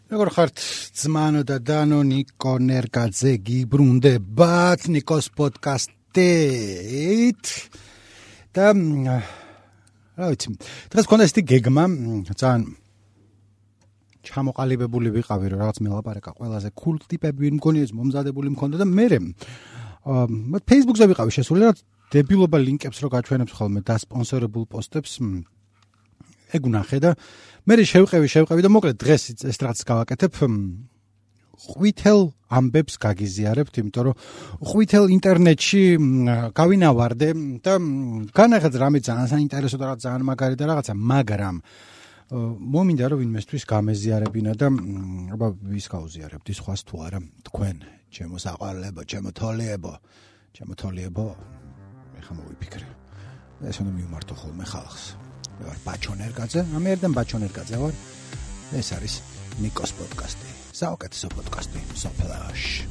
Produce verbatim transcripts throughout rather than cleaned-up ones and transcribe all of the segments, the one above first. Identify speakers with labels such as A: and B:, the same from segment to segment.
A: როგორ ხართ ძმანო და დანო ნიკო ნერგაძე გიბრუნდებათ ნიკოს პოდკასტით და რა ვიცი დღეს მქონდა ესეთი გეგმა ძალიან ჩამოყალიბებული ვიყავი რომ რაღაც მელაპარაკა ყველაზე cool ტიპები მგონი ეს მომზადებული მქონდა და მე მე Facebook-ზე ვიყავი შესული რა დებილობა ლინკებს რო გაჩვენებს ხოლმე და სპონსორებულ პოსტებს ეგ უნახე და მე შევყევი შევყევი და მოკლედ დღეს ეს რაღაც გავაკეთებ ყვითელ ამბებს გაგიზიარებთ იმიტომ რომ ყვითელ ინტერნეტში გავინავარდე და განახაც რამე ძალიან საინტერესო და რაღაც ძალიან მაგარი და რაღაცა მაგრამ მომინდა რომ ვინმესთვის გამეზიარებინა და აბა ვის გავზიარებთ ის ხვას თუ არა თქვენ ჩემო საყვარლებო ჩემო თოლიებო ჩემო თოლიებო ეხა მოვიფიქრე ეს უნდა მივმართო ხოლმე ხალხს მე ვარ ბაჩონერგაძე, ამე ერთად ბაჩონერგაძე ვარ. ეს არის ნიკოს პოდკასტი. საუკეთესო პოდკასტი სოფლაში.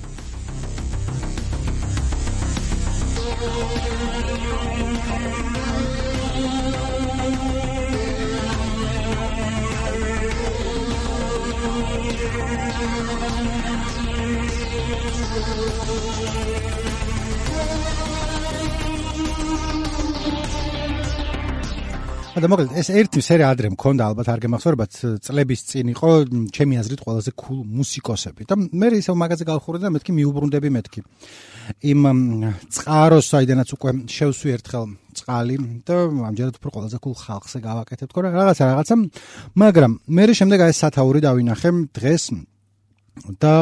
A: და მოკლედ ეს ერთი სერია ადრე მქონდა ალბათ არ გემახსოვრებათ წლების წინ იყო ჩემი აზრით ყველაზე cool მუსიკოსები და მე ისევ მაგაზე გავხურე და მეთქი მიუბრუნდები მეთქი იმ წყაროს საიდანაც უკვე შევსვი ერთხელ წყალი და ამჯერად უფრო ყველაზე cool ხალხზე გავაკეთებ თქო რაღაცა რაღაცა მაგრამ მე შემდეგ აი სათაური დავინახე დღეს და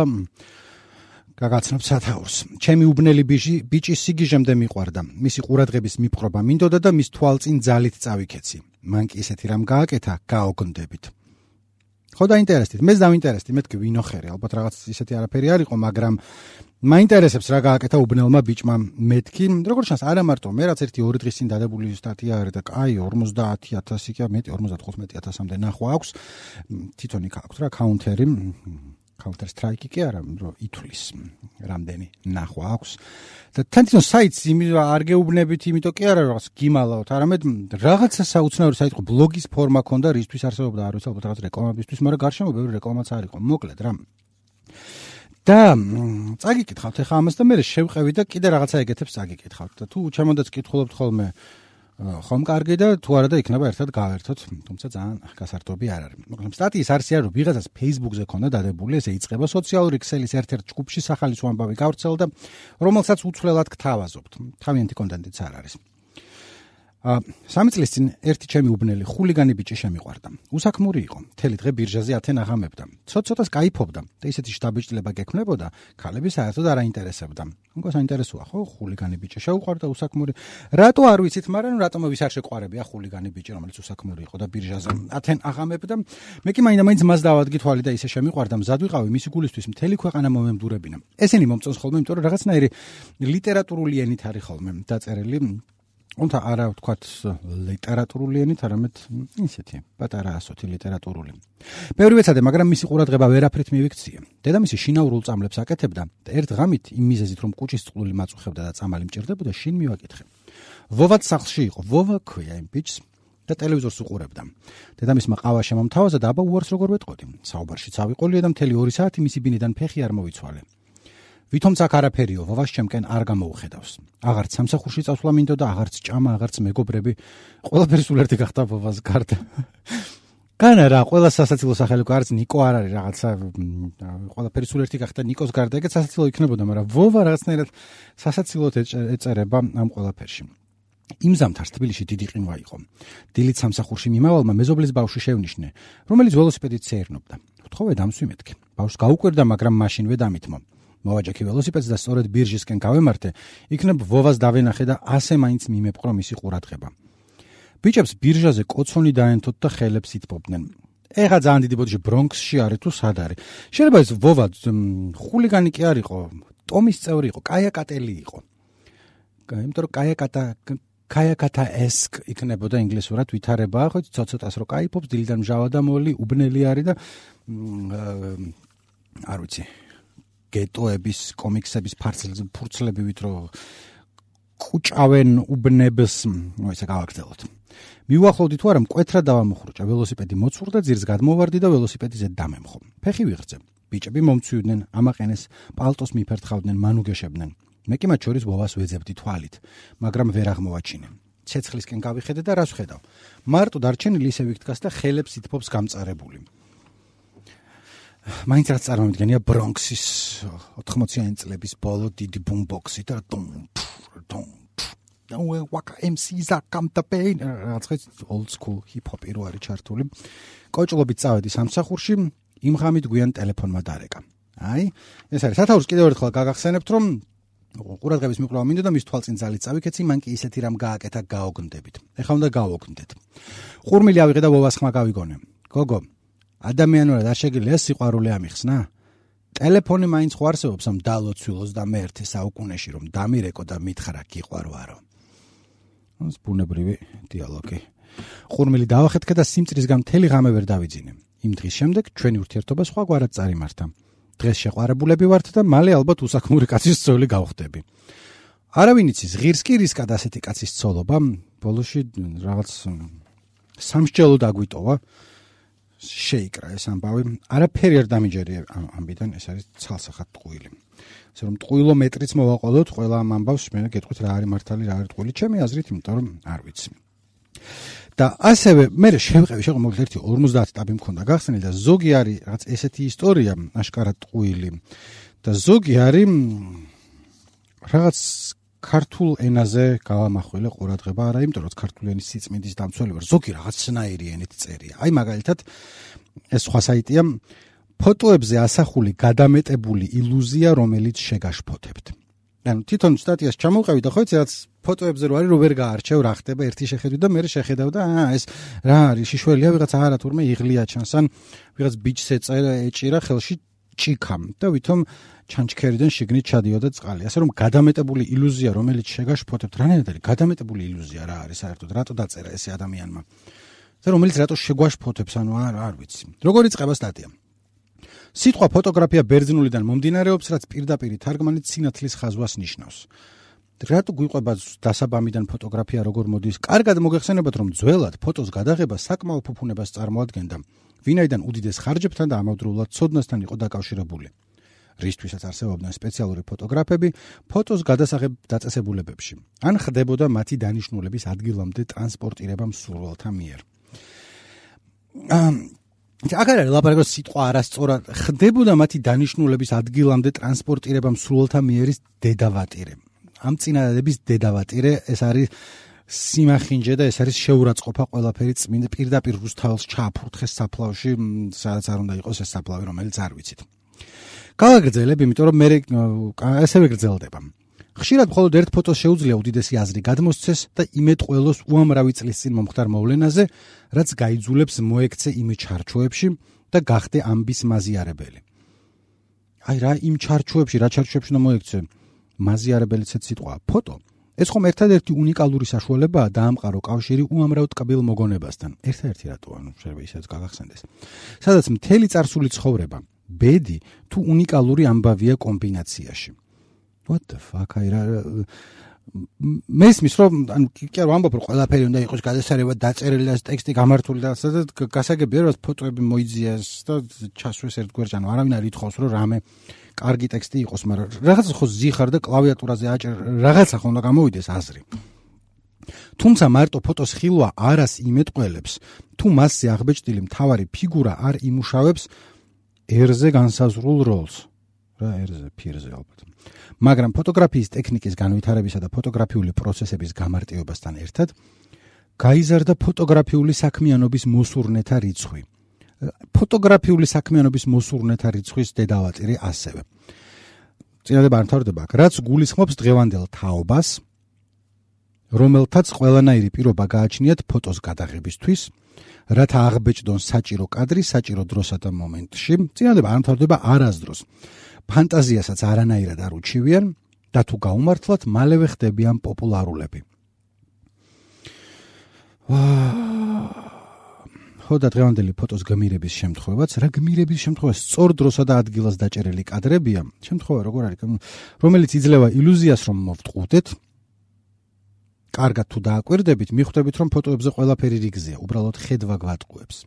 A: გაგაცნობ სათაურს. ჩემი უბნელი ბიჭი ბიჭი სიგიჟემდე მიყვარდა. მისი ყურადღების მიპყრობა მინდოდა და მის თვალწინ ძალით წავიქეცი. მან კი ისეთი რამ გააკეთა, გაოგონდებით. ხო დაინტერესდით, მეც დავინტერესდი, მეთქი ვინოხერი, ალბათ რაღაც ისეთი არაფერი არ იყო, მაგრამ მაინტერესებს რა გააკეთა უბნელმა ბიჭმა მეთქი. როგორც ჩანს, არა მარტო მე რაც ერთი ორი დღის წინ დადებული სტატია არის და კაი ორმოცდაათი ათასი კი მეტი ორმოცდათხუთმეტი ათასამდე ნახვა აქვს. თვითონ იქ აქვს რა კაუნტერი. Counter Strike კი არა, რომ ითვლის რამდენი ნახვა აქვს. და თვითონ საიტს არ გეუბნებით, იმიტომ კი არა რაღაც გიმალავთ, არამედ რაღაცა საუცნაური საიტი იყო, ბლოგის ფორმა ქონდა, რისთვის არსებობდა, არ ვიცი, ალბათ რაღაც რეკლამებისთვის, მაგრამ გარშემო ბევრი რეკლამაც არ იყო. მოკლედ რა. და წაგიკითხავთ ახლა ამას და მე შევყევი და კიდე რაღაცა ეგეთებს წაგიკითხავთ და თუ ჩემოდაც კითხულობთ ხოლმე ხომ კარგი და თუ არა და იქნება ერთად გავერთოთ, თუმცა ძალიან გასართობი არ არის. მოკლედ სტატიის არსია რომ ვიღაცას Facebook-ზე ქონდა დადებული, ესე იწყება სოციალური ქსელის ერთ-ერთ ჯგუფში სახალისო ამბავი გავრცელდა, რომელსაც უცვლელად გთავაზობთ. თავიანთი კონტენტიც არ არის. სამი წლის წინ ერთი ჩემი უბნელი ხულიგანი ბიჭი შემიყვარდა. უსაქმური იყო, მთელი დღე ბირჟაზე ათენ აღამებდა. ცოტ-ცოტას კაიფობდა და ისეთი შთაბეჭდილება გექმნებოდა, ქალები საერთოდ არ აინტერესებდა. უკვე საინტერესოა, ხო, ხულიგანი ბიჭი შეუყვარდა უსაქმური. რატო არ ვიცით, მაგრამ რატომ ვის არ შეყვარებია ხულიგანი ბიჭი, რომელიც უსაქმური იყო და ბირჟაზე ათენ აღამებდა. მე კი მაინდა-მაინც მას დავადგი თვალი და ისე შემიყვარდა, მზად ვიყავი მისი გულისთვის მთელი ქვეყანა მომემდურებინა. ესენი მომწონს ხოლმე, იმიტომ რომ რაღაცნაირი ლიტერატურული ენით არის ხოლმე დაწერილი. Unta არა ვთქვათ ლიტერატურული ენით, არამედ ისეთი პატარა ასოთი ლიტერატურული. ბევრი ვეცადე, მაგრამ მისი ყურადღება ვერაფრით მივიქცია. დედამისი შინაურულ წამლებს აკეთებდა და ერთ ღამით იმ მიზეზით, რომ კუჭის წყლული მაწუხებდა და წამალი მჭირდებოდა, შინ მივაკითხე. ვოვაც სახლში იყო, ვოვა ქვია იმ ბიჭს და ტელევიზორს უყურებდა. დედამისმა ყავა შემომთავაზა და აბა უარს როგორ ვეტყოდი. საუბარში წავიყოლია და მთელი ორი საათი მისი ბინიდან ფეხი არ მოვიცვალე. ვითომც აქ არაფერიო, ვოვას ჩემკენ არ გამოუხედავს. აღარც სამსახურში წასვლა მინდოდა, აღარც ჭამა, აღარც მეგობრები, ყველაფერი სულ ერთი გახდა ვოვას გარდა. განა რა, ყველა სასაცილო სახელი არც ნიკო არ არის რაღაცა, ყველაფერი სულ ერთი გახდა ნიკოს გარდა, ეგეც სასაცილო იქნებოდა, მაგრამ ვოვა რაღაცნაირად სასაცილოდ ეწერება ამ ყველაფერში. იმ ზამთარს თბილისში დიდი ყინვა იყო. დილით სამსახურში მიმავალმა მეზობლის ბავშვი შევნიშნე, რომელიც ველოსიპედით სეირნობდა. ვთხოვე დამსვი მეთქი. ბავშვს გაუკვირდა, მაგრამ მაშინვე დამითმო. მოვაჯექი ველოსიპედს და სწორედ ბირჟისკენ გავემართე, იქნებ ვოვას დავენახე და ასე მაინც მიმეპყრო მისი ყურადღება. ბიჭებს ბირჟაზე კოცონი დაენთოთ და ხელებს ითბობდნენ. ეხა ძალიან დიდი ბოდიში ბრონქსში არის თუ სად არის. შეიძლება ეს ვოვა ხულიგანი კი არ იყო, ტომის წევრი იყო, კაიაკატელი იყო. იმიტომ რომ კაიაკატა კაიაკატა ესკ იქნებოდა ინგლისურად ვითარებაა, ხო ცოტ-ცოტას რო კაიფობს, დილიდან მჟავა და მოლი, უბნელი არის და არ ვიცი. გეტოების, კომიქსების ფურცლებივით რო კუჭავენ უბნებს, ну ესე გავაგრძელოთ. მივახლოვდი თუ არა მკვეთრად დავამოხრუჭა, ველოსიპედი მოცურდა, ძირს გადმოვარდი და ველოსიპედიზე დამემხო. ფეხი ვიღრძე. ბიჭები მომცვიდნენ, ამაყენეს, პალტოს მიფერთხავდნენ, მანუგეშებდნენ. მე კი მათ შორის ვოვას ვეძებდი თვალით, მაგრამ ვერ აღმოვაჩინე. ცეცხლისკენ გავიხედე და რას ვხედავ? მარტო დარჩენილი ისე ვიგდგას და ხელებს ითფობს გამწარებული. მაინც რაც წარმოვიდგენია ბრონქსის ოთხმოციანი წლების ბოლო დიდი ბუმბოქსი და დუმ დუმ და ვაკა ემ სი-ს კამტაპეინ რაღაც old school hip hop რო არის ჩართული. კოჭლობით წავედი სამსახურში, იმ ღამით გვიან ტელეფონმა დარეკა. აი, ეს არის სათაურს კიდევ ერთხელ გაგახსენებთ, რომ ყურადღების მიკვლევა მინდოდა მის თვალწინ ძალით წავიქეცი, მან კი ისეთი რამ გააკეთა გაოგნდებით. ეხლა უნდა გავოგნდეთ. ხურმილი ავიღე და ვოვას ხმა გავიგონე. გოგო, ადამიანურად არ შეგიძლია სიყვარული ამიხსნა? ტელეფონი მაინც ხო არსებობს ამ დალოცვილოს და მეერთე საუკუნეში, რომ დამირეკო და მითხრა გიყვარვარო. ეს ბუნებრივი დიალოგი. ხურმილი დავახეთქე და სიმწრისგან მთელი ღამე ვერ დავიძინე. იმ დღის შემდეგ ჩვენი ურთიერთობა სხვაგვარად წარიმართა. დღეს შეყვარებულები ვართ და მალე ალბათ უსაქმური კაცის ცოლი გავხდები. არავინ იცის, ღირს კი რისკად ასეთი კაცის ცოლობა, ბოლოში რაღაც სამსჯელო დაგვიტოვა. შეიკრა ეს ამბავი. არაფერი არ დამიჯერია ამბიდან, ეს არის ცალსახად ტყუილი. ასე რომ ტყუილო მეტრიც მოვაყოლოთ ყველა ამ ამბავს, მე გეტყვით რა არის მართალი, რა არის ტყუილი, ჩემი აზრით, იმიტომ რომ არ ვიცი. და ასევე მე შევყევი, შეყო მოგეთ ერთი ორმოცდაათი ტაბი მქონდა გახსნილი და ზოგი არის რაღაც ესეთი ისტორია, აშკარად ტყუილი და ზოგი არის რაღაც ქართულ ენაზე გავამახვილე ყურადღება, არა იმიტომ რომ ქართული ენის სიწმინდის დამცველი ვარ, ზოგი რაღაცნაირი ენით წერია. აი მაგალითად ეს სხვა საიტია ფოტოებზე ასახული გადამეტებული ილუზია, რომელიც შეგაშფოთებთ. ანუ თვითონ სტატიას ჩამოვყევი და ხო იცი რაც ფოტოებზე რო არის რო ვერ გაარჩევ რა ხდება ერთი შეხედვით და მე შეხედავ და აა ეს რა არის შიშველია ვიღაც არა თურმე იღლია ჩანს ან ვიღაც ბიჭს ეწერა ეჭირა ხელში ჭიქამ და ვითომ ჩანჩქერიდან შიგნით ჩადიოდა წყალი. ასე რომ გადამეტებული ილუზია რომელიც შეგაშფოთებთ რანაირად არის გადამეტებული ილუზია რა არის საერთოდ რატო დაწერა ესე ადამიანმა და რომელიც რატო შეგვაშფოთებს ანუ არ არ ვიცი. როგორ იწყება სტატია? სიტყვა ფოტოგრაფია ბერძნულიდან მომდინარეობს, რაც პირდაპირ თარგმანით სინათლის ხაზვას ნიშნავს. რატო გვიყვება დასაბამიდან ფოტოგრაფია როგორ მოდის? კარგად მოგეხსენებათ, რომ ძველად ფოტოს გადაღება საკმაო ფუფუნებას წარმოადგენდა, ვინაიდან უდიდეს ხარჯებთან და ამავდროულად ცოდნასთან იყო დაკავშირებული. რისთვისაც არსებობდნენ სპეციალური ფოტოგრაფები ფოტოს გადასაღებ დაწესებულებებში, ან ხდებოდა მათი დანიშნულების ადგილამდე ტრანსპორტირება მსურველთა მიერ. აგარ არის ლაპარაკობს სიტყვა არასწორად ხდებოდა მათი დანიშნულების ადგილამდე ტრანსპორტირება მსურველთა მიერის დედავატირე. ამ წინადადების დედავატირე ეს არის სიმახინჯე და ეს არის შეურაცხყოფა ყველაფერი წმინდა პირდაპირ რუსთაველს ჩააფურთხეს საფლავში, სადაც არ უნდა იყოს ეს საფლავი, რომელიც არ ვიცით. გავაგრძელებ, იმიტომ რომ მე ესევე გრძელდება. ხშირად მხოლოდ ერთ ფოტოს შეუძლია უდიდესი აზრი გადმოსცეს და იმედ ყველოს უამრავი წლის წინ მომხდარ მოვლენაზე, რაც გაიძულებს მოექცე იმ ჩარჩოებში და გახდე ამბის მაზიარებელი. აი რა იმ ჩარჩოებში, რა ჩარჩოებში უნდა მოექცე? მაზიარებელიც ეს სიტყვა ფოტო. ეს ხომ ერთადერთი უნიკალური საშუალებაა დაამყარო კავშირი უამრავ ტკბილ მოგონებასთან. ერთადერთი რატო ანუ შეიძლება ისეც გაგახსენდეს. სადაც მთელი წარსული ცხოვრება, ბედი თუ უნიკალური ამბავია კომბინაციაში. What the fuck? აი რა მესმის რომ ანუ კი არ ვამბობ რომ ყველაფერი უნდა იყოს გადასარევად დაწერილი და ტექსტი გამართული და სადაც გასაგებია რომ ფოტოები მოიძიეს და ჩასვეს ერთგვერდ ანუ არავინ არ ითხოვს რომ რამე კარგი ტექსტი იყოს, მაგრამ რაღაცა ხო ზიხარ და კლავიატურაზე აჭერ რაღაცა ხო უნდა გამოვიდეს აზრი. თუმცა მარტო ფოტოს ხილვა არას იმეტყველებს, თუ მასზე აღბეჭდილი მთავარი ფიგურა არ იმუშავებს ერზე განსაზღვრულ როლს. რა ერზე, ფირზე ალბათ. მაგრამ ფოტოგრაფიის ტექნიკის განვითარებისა და ფოტოგრაფიული პროცესების გამარტივებასთან ერთად გაიზარდა ფოტოგრაფიული საქმიანობის მოსურნეთა რიცხვი. ფოტოგრაფიული საქმიანობის მოსურნეთა რიცხვის დედავატირი ასევე. წინადადება არ მთავრდება, რაც გულისხმობს დღევანდელ თაობას, რომელთაც ყველანაირი პირობა გააჩნიათ ფოტოს გადაღებისთვის, რათა აღბეჭდონ საჭირო კადრი საჭირო დროსა და მომენტში. წინადადება არ მთავრდება არასდროს. ფანტაზიასაც არანაირად არ უჩივიან და თუ გაუმართლად მალევე ხდებიან პოპულარულები. ხო და დღევანდელი ფოტოს გმირების შემთხვევაც, რა გმირების შემთხვევა სწორ დროსა და ადგილას დაჭერილი კადრებია, შემთხვევა როგორ არის, რომელიც იძლევა ილუზიას რომ მოვტყუდეთ, კარგად თუ დააკვირდებით, მიხვდებით, რომ ფოტოებზე ყველაფერი რიგზეა, უბრალოდ ხედვა გვატყუებს.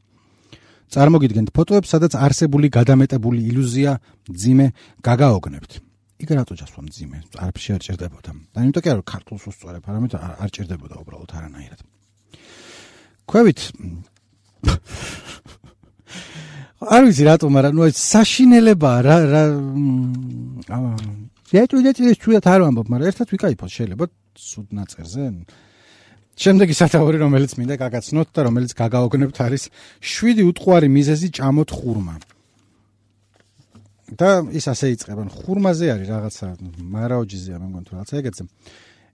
A: წარმოგიდგენთ ფოტოებს, სადაც არსებული გადამეტებული ილუზია ძიმე გაგაოგნებთ. იქ რატო ჯასვა ძიმე? არაფერში არ ჭირდებოდა. და იმიტომ კი არა, ქართულს უსწორებ, არამედ არ ჭირდებოდა უბრალოდ არანაირად. ქვევით არ ვიცი რატომ, მაგრამ ნუ ეს საშინელებაა რა რა შეჭუ შეჭუ შეჭუ არ ვამბობ, მაგრამ ერთად ვიკაიფოთ შეიძლება სუდ ნაწერზე. შემდეგი სათაური, რომელიც მინდა გაგაცნოთ და რომელიც გაგაოგნებთ, არის შვიდი უტყუარი მიზეზი ჭამოთ ხურმა. და ის ასე იწყებენ. ხურმაზე არის რაღაცა მარაოჯიზეა, მე მგონი თუ რაღაცა ეგეთზე.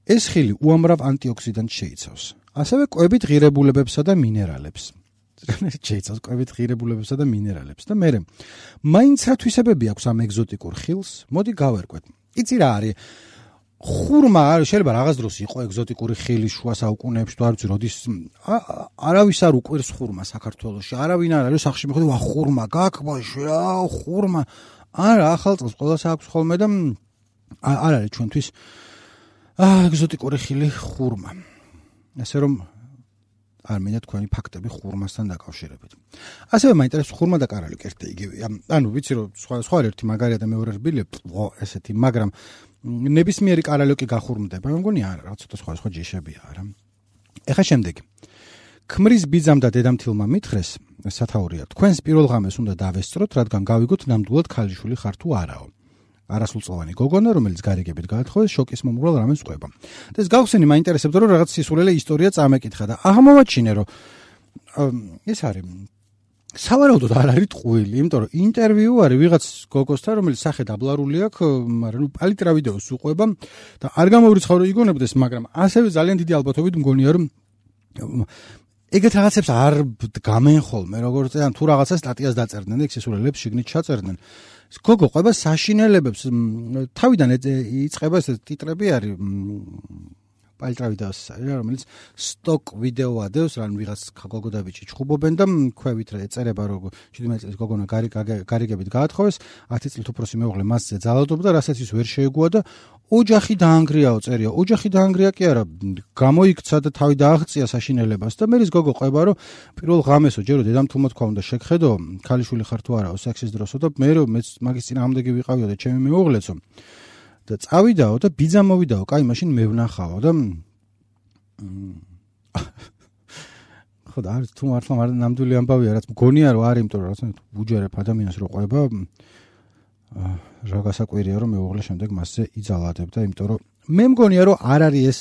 A: ეს ხილი უამრავ ანტიოქსიდანტს შეიცავს. ასევე კვებით ღირებულებებსა და მინერალებს. შეიცავს კვებით ღირებულებებსა და მინერალებს და მერე მაინც რა თვისებები აქვს ამ ეგზოტიკურ ხილს? მოდი გავერკვეთ. იცი რა არის? ხურმა შეიძლება რაღაც დროს იყო ეგზოტიკური ხილი შუა საუკუნეებში, თუ არ ვიცი როდის არავის არ უყვირს ხურმა საქართველოში. არავინ არ არის სახში მიხვდი, ვა ხურმა გაქვს ბავშვი რა, ხურმა. არა, ახალ წელს ყველას აქვს ხოლმე და არ არის ჩვენთვის ეგზოტიკური ხილი ხურმა. ასე რომ არ მინდა თქვენი ფაქტები ხურმასთან დაკავშირებით. ასევე მაინტერესებს ხურმა და კარალიოკი ერთად იგივეა. ანუ ვიცი რომ სხვა სხვა ერთი მაგარია და მეორე რბილი, ესეთი, მაგრამ ნებისმიერი კარალიოკი გახურმდება, მე მგონი არა, რა ცოტა სხვა სხვა ჯიშებია, არა. ეხა შემდეგი. ქმრის ბიძამ და დედამთილმა მითხრეს, სათაურია, თქვენს პირველ ღამეს უნდა დავესწროთ, რადგან გავიგოთ ნამდვილად ქალიშვილი ხარ თუ არაო. არასრულწლოვანი გოგონა, რომელიც გარიგებით გაათხოვეს, შოკის მომრგვალ რამეს ყვება. და ეს გავხსენი, მაინტერესებდა, რომ რაღაც სისულელე ისტორია წამეკითხა და აღმოვაჩინე, რომ ეს არის სავარაუდოდ არ არის ტყუილი, იმიტომ რომ ინტერვიუ არის ვიღაც გოგოსთან, რომელიც სახე დაბლარული აქვს, მაგრამ ნუ პალიტრა ვიდეოს უყვება და არ გამოვრიცხავ რომ იგონებდეს, მაგრამ ასევე ძალიან დიდი ალბათობით მგონია, რომ ეგეთ რაღაცებს არ გამენ ხოლმე, როგორც ან თუ რაღაცა სტატიას დაწერდნენ და ექსესურელებს შიგნით ჩაწერდნენ. გოგო ყვება საშინელებებს, თავიდან იწყება ეს ტიტრები არის პალიტრა ვიდეოს, რომელიც სტოკ ვიდეო ადევს, რან ვიღაც გოგო და ბიჭი ჩხუბობენ და ქვევით რა ეწერება, რომ შვიდმეტი წლის გოგონა გარიგებით გაათხოვეს, ათი წლით უფროსი მეუღლე მასზე ძალადობდა, რასაც ის ვერ შეეგუა და ოჯახი დაანგრიაო წერია. ოჯახი დაანგრია კი არა, გამოიქცა და თავი დააღწია საშინელებას და მერის გოგო ყვება, რომ პირველ ღამესო ჯერო დედამთილმა თქვა უნდა შეგხედო, ქალიშვილი ხარ თუ არაო სექსის დროსო და მე რომ მეც მაგის წინააღმდეგი ვიყავიო და ჩემი მეუღლეცო და წავიდაო და ბიძა მოვიდაო, კაი მაშინ მე ვნახავო და ხო და არის თუ მართლა ნამდვილი ამბავია, რაც მგონია რომ არის, იმიტომ რომ რაღაცა უჯერებ ადამიანს რო ყვება, რა გასაკვირია რომ მეუღლე შემდეგ მასზე იძალადებდა, იმიტომ რომ მე მგონია რომ არ არის ეს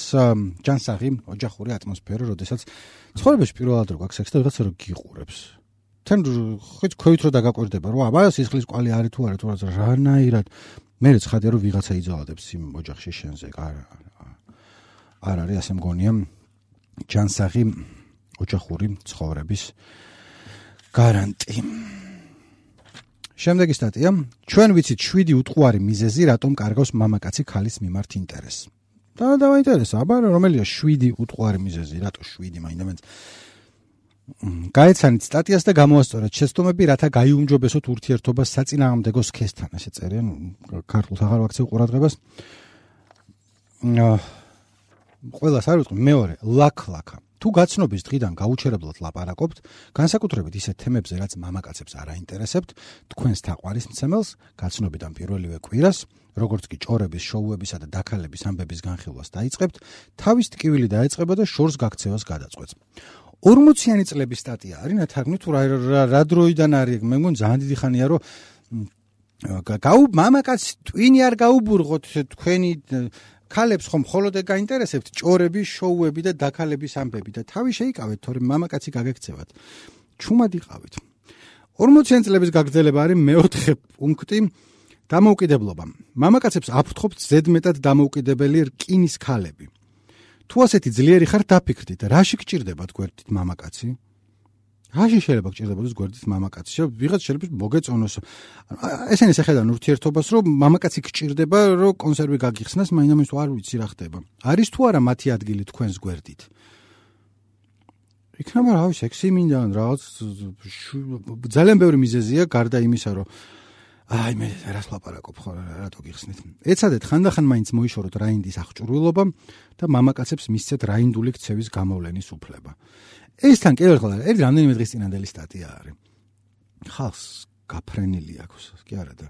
A: ჯანსაღი ოჯახური ატმოსფერო, როდესაც ცხოვრებაში პირველად რო გაქვს სექსი და ვიღაცა რო გიყურებს. თან ხეთ ქვევით რო დაგაკვირდება, რომ აბა სისხლის კვალი არის თუ არა, თუ რანაირად მე ცხადია რომ ვიღაცა იძალადებს იმ ოჯახში შენზე. არ არ არის ასე მგონია ჯანსაღი ოჯახური ცხოვრების გარანტი. შემდეგი სტატია. ჩვენ ვიცით შვიდი უტყუარი მიზეზი, რატომ კარგავს მამაკაცი ქალის მიმართ ინტერესს. და დავაინტერესა, აბა რომელია შვიდი უტყუარი მიზეზი, რატო შვიდი მაინდა გაეცანით სტატიას და გამოასწორეთ შეცდომები, რათა გაიუმჯობესოთ ურთიერთობა საწინააღმდეგო სქესთან, ესე წერია, ქართულს აღარ ვაქცევ ყურადღებას. ყველას არ ვიტყვი, მეორე, ლაქ-ლაქა. თუ გაცნობის დღიდან გაუჩერებლად ლაპარაკობთ, განსაკუთრებით ისეთ თემებზე, რაც მამაკაცებს არ აინტერესებთ, თქვენს თაყვანის მცემელს გაცნობიდან პირველივე კვირას, როგორც კი ჭორების, შოუებისა და დაქალების ამბების განხილვას დაიწყებთ, თავის ტკივილი დაეწყება და შორს გაქცევას გადაწყვეტს. ორმოციანი წლების სტატია არის, ნათარგმნი თუ რა დროიდან არის, მე მგონი ძალიან დიდი ხანია, რომ გაუ მამაკაც ტვინი არ გაუბურღოთ თქვენი ქალებს ხომ მხოლოდ გაინტერესებთ ჭორები, შოუები და დაქალების ამბები და თავი შეიკავეთ, თორემ მამაკაცი გაგექცევათ. ჩუმად იყავით. ორმოციანი წლების გაგრძელება არის მეოთხე პუნქტი, დამოუკიდებლობა. მამაკაცებს აფრთხობთ ზედმეტად დამოუკიდებელი რკინის ქალები. თუ ასეთი ძლიერი ხარ, დაფიქრდით, რაში გჭირდებათ გვერდით მამაკაცი? რაში შეიძლება გჭირდებოდეს გვერდით მამაკაცი? ვიღაც შეიძლება მოგეწონოს. ესენი შეხედან ურთიერთობას, რომ მამაკაცი გჭირდება, რომ კონსერვი გაგიხსნას, მაინდა-მაინც არ ვიცი რა ხდება. არის თუ არა მათი ადგილი თქვენს გვერდით? იქნება რავი, სექსი მინდა, რაღაც ძალიან ბევრი მიზეზია, გარდა იმისა, რომ აი მე რას ლაპარაკობ ხო რატო გიხსნით. ეცადეთ ხანდახან მაინც მოიშოროთ რაინდის აღჭურვილობა და მამაკაცებს მისცეთ რაინდული ქცევის გამოვლენის უფლება. ეს თან კიდევ ერთხელ ერთ რამდენიმე დღის წინანდელი სტატია არის. ხალხს გაფრენილი აქვს, კი არა და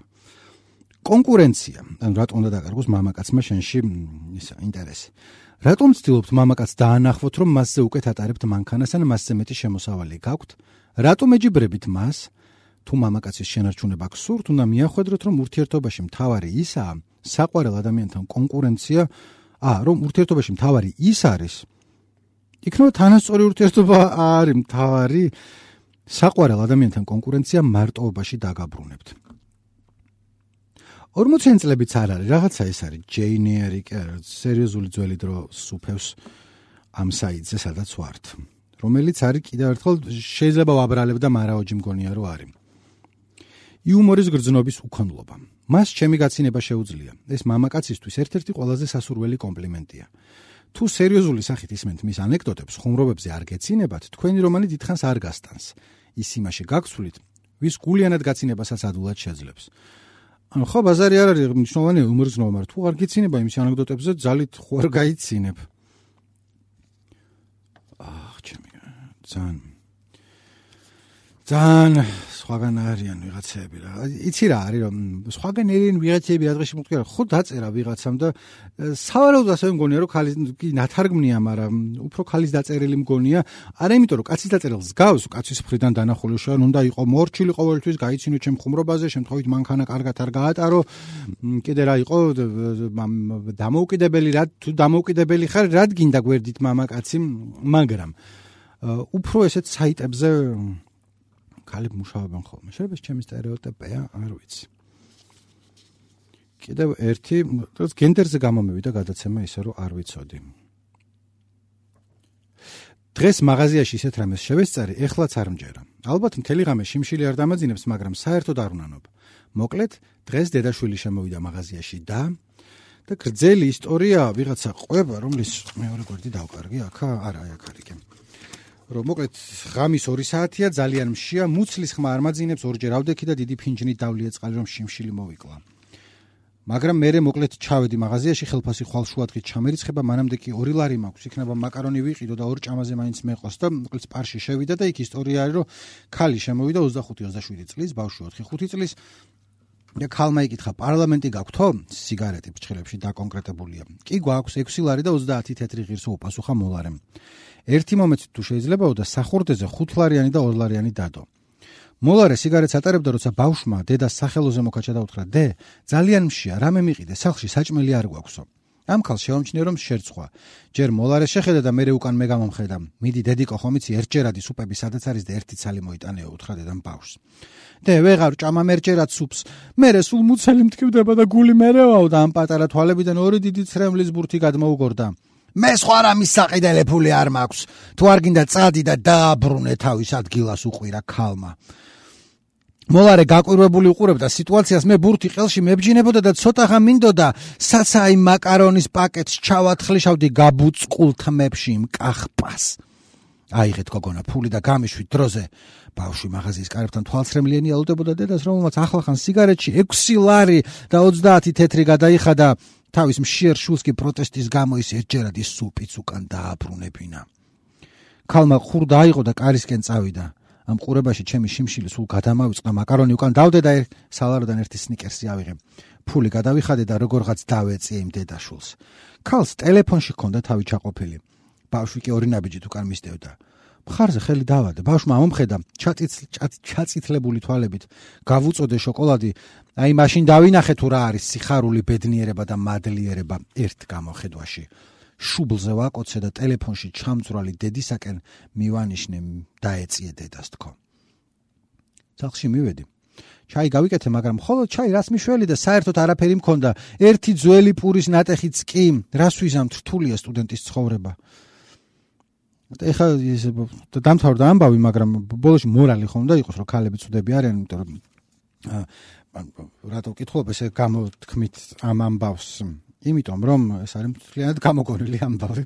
A: კონკურენცია, ანუ რატომ უნდა დაკარგოს მამაკაცმა შენში ისა ინტერესი. რატომ ცდილობთ მამაკაცს დაანახოთ, რომ მასზე უკეთ ატარებთ მანქანას ან მასზე მეტი შემოსავალი გაქვთ? რატომ ეჯიბრებით მას? თუ მამაკაცის შენარჩუნება გსურთ, უნდა მიახვედროთ, რომ ურთიერთობაში მთავარი ისაა, საყვარელ ადამიანთან კონკურენცია, ა, რომ ურთიერთობაში მთავარი ის არის, იქნება თანასწორი ურთიერთობა არის მთავარი, საყვარელ ადამიანთან კონკურენცია მარტოობაში დაგაბრუნებთ. ორმოციანი წლებიც არ არის, რაღაცა ეს არის, ჯეინ ეირი, სერიოზული ძველი დრო სუფევს ამ საიტზე, სადაც ვართ, რომელიც არის კიდევ ერთხელ შეიძლება ვაბრალებ და მარაოჯი მგონია რომ არის. იუმორის გრძნობის უქონლობა. მას ჩემი გაცინება შეუძლია. ეს მამაკაცისთვის ერთ-ერთი ყველაზე სასურველი კომპლიმენტია. თუ სერიოზული სახით ისმენთ მის ანეკდოტებს, ხუმრობებზე არ გეცინებათ, თქვენი რომანი დიდხანს არ გასტანს. ის იმაში გაგცვლით, ვის გულიანად გაცინებასაც ადულად შეძლებს. ანუ ხო ბაზარი არ არის მნიშვნელოვანია იუმორის გრძნობა, მაგრამ თუ არ გეცინება იმის ანეკდოტებზე, ძალით ხო არ გაიცინება. აх, ჩემი ძალიან ძალიან სხვაგან არიან ვიღაცები რა. იცი რა არის რომ სხვაგან ერენ ვიღაცები რა დღეში მოვთქვა ხო დაწერა ვიღაცამ და სავარაუდოდ ასევე მგონია რომ ქალის კი ნათარგმნია, მაგრამ უფრო ქალის დაწერილი მგონია. არა იმიტომ რომ კაცის დაწერილს გავს, კაცის მხრიდან დანახული შენ უნდა იყო მორჩილი ყოველთვის გაიცინო ჩემ ხუმრობაზე, შემთხვევით მანქანა კარგად არ გაატარო, კიდე რა იყო დამოუკიდებელი რა თუ დამოუკიდებელი ხარ, რად გინდა გვერდით მამაკაცი, მაგრამ უფრო ესეთ საიტებზე ქალები მუშაობენ ხოლმე. შეიძლება ჩემი სტერეოტიპია, არ ვიცი. კიდევ ერთი, რაც გენდერზე გამომივიდა გადაცემა ისე რომ არ ვიცოდი. დღეს მაღაზიაში ისეთ რამეს შევესწარი, ეხლაც არ მჯერა. ალბათ მთელი ღამე შიმშილი არ დამაძინებს, მაგრამ საერთოდ არ უნანობ. მოკლედ, დღეს დედაშვილი შემოვიდა მაღაზიაში და და გრძელი ისტორია ვიღაცა ყვება, რომლის მეორე გვერდი დავკარგი, აქა, არა, აი აქ არის. რომ მოკლედ ღამის ორი საათია, ძალიან მშია, მუცლის ხმა არ მაძინებს, ორჯერ ავდექი და დიდი ფინჯნით დავლია წყალი, რომ შიმშილი მოვიკლა. მაგრამ მე მოკლედ ჩავედი მაღაზიაში, ხელფასი ხვალშუადღით ჩამერიცხება, მანამდე კი ორი ლარი მაქვს, იქნება მაკარონი ვიყიდო და ორ ჭამაზე მაინც მეყოს და მოკლედ სპარში შევიდა და იქ ისტორია არის, რომ ქალი შემოვიდა ოცდახუთი ოცდაშვიდი წლის, ბავშვი ოთხი წლის და ქალმა იკითხა, პარლამენტი გაქვთო? სიგარეტი ფრჩხილებში დაკონკრეტებულია. კი გვაქვს ექვსი ლარი და ოცდაათი თეთრი ღირსო უპასუხა მოლარემ. ერთი მომენტი თუ შეიძლებაო და სახურდეზე ხუთ ლარიანი და ორ ლარიანი დადო. მოლარე სიგარეტს ატარებდა, როცა ბავშვმა დედას სახელოზე მოკაჭა და უთხრა: "დე, ძალიან მშია, რამე მიყიდე, სახლში საჭმელი არ გვაქვსო." ამ ქალს შეამჩნია რომ შერცვა. ჯერ მოლარე შეხედა და მერე უკან მე გამომხედა. მიდი დედიკო ხომ იცი ერთჯერადი სუპები სადაც არის და ერთი ცალი მოიტანეო, უთხრა დედამ ბავშვს. დე ვეღარ ჭამა მერჯერად სუპს. მერე სულ მუცელი მტკივდება და გული მერევაო და ამ პატარა თვალებიდან ორი დიდი ცრემლის ბურთი გადმოუგორდა. მე სხვა რამის საყიდელი ფული არ მაქვს. თუ არ გინდა წადი და დააბრუნე თავის ადგილას, უყვირა ქალმა. მოლარე გაკვირვებული უყურებდა სიტუაციას, მე ბურთი ყელში მებჯინებოდა და ცოტაღა მინდოდა საცაი მაკარონის პაკეტს ჩავათხლიშავდი გაბუწყულ თმებში იმ კახპას. აიღეთ გოგონა ფული და გამიშვით დროზე. ბავშვი მაღაზიის კარებთან თვალცრემლიანი ალუდებოდა დედას, რომელმაც ახლახან სიგარეტში ექვსი ლარი და ოცდაათი თეთრი გადაიხადა. თავის მშიერ შულს კი პროტესტის გამო ის ერთჯერად ის სუპიც უკან დააბრუნებინა. ქალმა ხურდა აიღო და კარისკენ წავიდა. ამ ყურებაში ჩემი შიმშილი სულ გადამავიწყდა, მაკარონი უკან დავდე და სალაროდან ერთი სნიკერსი ავიღე. ფული გადავიხადე და როგორღაც დავეწიე იმ დედაშულს. ქალს ტელეფონში ჰქონდა თავი ჩაყოფილი. ბავშვი კი ორი ნაბიჯით უკან მისდევდა. მხარზე ხელი დავადე. ბავშვმა მომხედა ჩაწითლებული თვალებით. გავუწოდე შოკოლადი. აი მაშინ დავინახე თუ რა არის სიხარული, ბედნიერება და მადლიერება ერთ გამოხედვაში. შუბლზე ვაკოცე და ტელეფონში ჩამძვრალი დედისაკენ მივანიშნე დაეწიე დედას თქო. სახლში მივედი. ჩაი გავიკეთე, მაგრამ მხოლოდ ჩაი რას მიშველი და საერთოდ არაფერი მქონდა. ერთი ძველი პურის ნატეხიც კი, რას ვიზამთ, რთულია სტუდენტის ცხოვრება. ეხლა დამთავრდა ამბავი, მაგრამ ბოლოში მორალი ხომ და იყოს, რომ ქალები ცუდები არიან, იმიტომ რომ რატო ვკითხულობ ესე გამოთქმით ამ ამბავს? იმიტომ რომ ეს არის მთლიანად გამოგონილი ამბავი.